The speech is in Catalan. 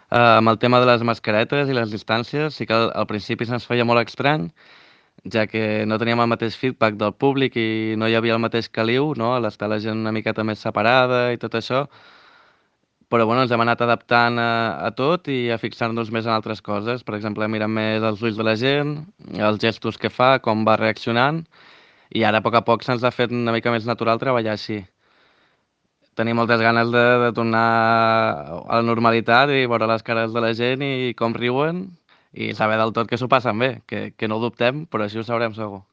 Amb el tema de les mascaretes i les distàncies, sí que al principi se'ns feia molt estrany, ja que no teníem el mateix feedback del públic i no hi havia el mateix caliu, no? A l'estar la gent una miqueta més separada i tot això, però bueno, ens hem anat adaptant a tot i a fixar-nos més en altres coses. Per exemple, mirant més els ulls de la gent, els gestos que fa, com va reaccionant, i ara a poc se'ns ha fet una mica més natural treballar així. Tenim moltes ganes de tornar a la normalitat i veure les cares de la gent i com riuen i saber del tot que s'ho passen bé, que no ho dubtem, però així ho sabrem segur.